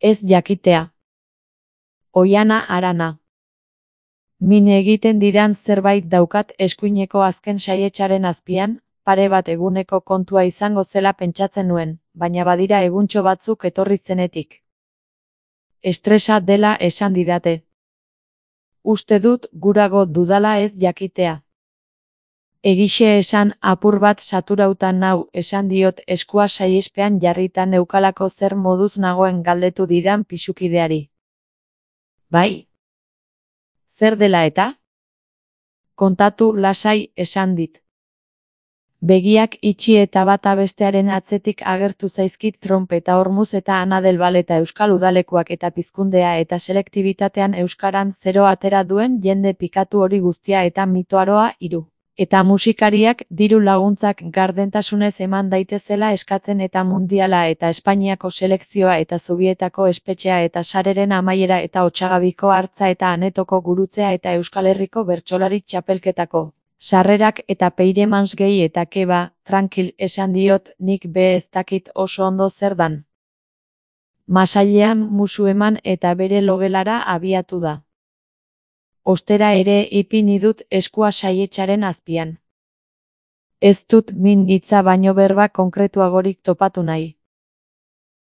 Ez jakitea. Oiana Arana. Min egiten didan zerbait daukat eskuineko azken saihetxaren azpian, pare bat eguneko kontua izango zela pentsatzen nuen, baina badira eguntxo batzuk etorri zenetik. Estresa dela esan didate. Uste dut gurago dudala ez jakitea. Egixe esan apur bat saturauta nau esan diot eskua saihespean jarrita neukalako zer moduz nagoen galdetu didan pisukideari. Bai. Zer dela eta? Kontatu lasai esan dit. Begiak itxi eta bata bestearen atzetik agertu zaizkit tronpeta hormuz eta Anadel Bal eta Euskal Udalekuak eta pizkundea eta selektibitatean euskaran zero atera duen jende pikatu hori guztia eta mitoaroa 3. Eta musikariak diru laguntzak gardentasunez eman daitezela eskatzen eta mundiala eta Espainiako selekzioa eta Zubietako espetxea eta sareren amaiera eta Otsagabiko hartza eta Anetoko gurutzea eta Euskal Herriko bertsolari txapelketako sarrerak eta peiremans gehi eta keba, tranquil esan diot nik be ez dakit oso ondo zer dan. Masailean musu eman eta bere logelara abiatu da. Ostera ere ipini dut eskua saihetxaren azpian. Ez dut min hitza baino berba konkretuagorik topatu nahi.